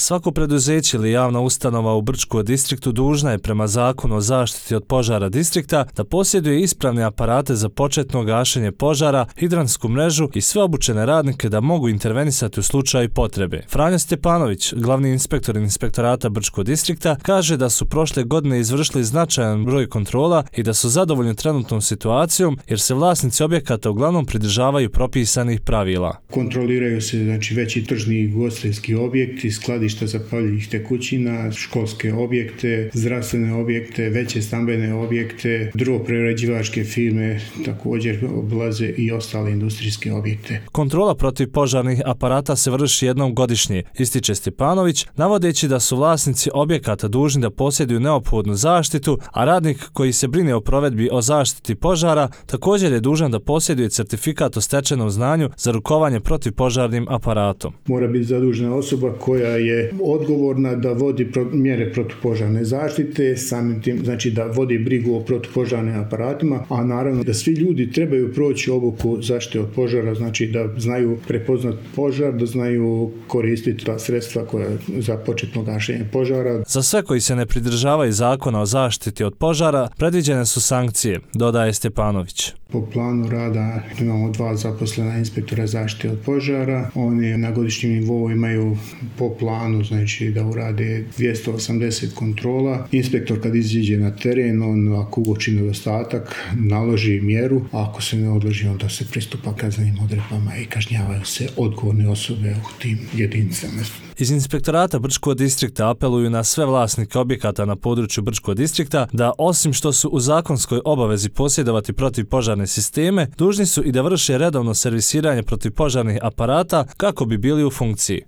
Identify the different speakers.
Speaker 1: Svako preduzeće ili javna ustanova u Brčko distriktu dužna je prema Zakonu o zaštiti od požara distrikta da posjeduje ispravne aparate za početno gašenje požara, hidrantsku mrežu i sve obučene radnike da mogu intervenisati u slučaju potrebe. Franjo Stjepanović, glavni inspektor Inspektorata Brčko distrikta, kaže da su prošle godine izvršili značajan broj kontrola i da su zadovoljni trenutnom situacijom jer se vlasnici objekata uglavnom pridržavaju propisanih pravila.
Speaker 2: Kontroliraju se veći tržni i ugostiteljski objekti, skladišta zapaljivih tekućina, školske objekte, zdravstvene objekte, veće stambene objekte, drvoprerađivačke firme također obilaze i ostale industrijske objekte.
Speaker 1: Kontrola protiv požarnih aparata se vrši jednom godišnje, ističe Stjepanović, navodeći da su vlasnici objekata dužni da posjeduju neophodnu zaštitu, a radnik koji se brine o provedbi o zaštiti požara također je dužan da posjeduje certifikat o stečenom znanju za rukovanje protivpožarnim aparatom.
Speaker 2: Mora biti zadužena osoba koja je odgovorna da vodi mjere protupožarne zaštite, samim tim znači da vodi brigu o protupožarnim aparatima, a naravno da svi ljudi trebaju proći obuku zaštite od požara, znači da znaju prepoznati požar, da znaju koristiti ta sredstva koja za početno gašenje požara.
Speaker 1: Za sve koji se ne pridržavaju Zakona o zaštiti od požara predviđene su sankcije, dodaje Stjepanović.
Speaker 2: Po planu rada imamo 2 zaposlena inspektora zaštite od požara. Oni na godišnjem nivou imaju po planu znači da urade 280 kontrola. Inspektor kad iziđe na teren, on ako uoči nedostatak naloži mjeru, a ako se ne odloži onda se pristupa kaznenim odredbama i kažnjavaju se odgovorne osobe u tim jedinicama.
Speaker 1: Iz Inspektorata Brčko distrikta apeluju na sve vlasnike objekata na području Brčko distrikta da osim što su u zakonskoj obavezi posjedovati protivpožarne sisteme, dužni su i da vrše redovno servisiranje protivpožarnih aparata kako bi bili u funkciji.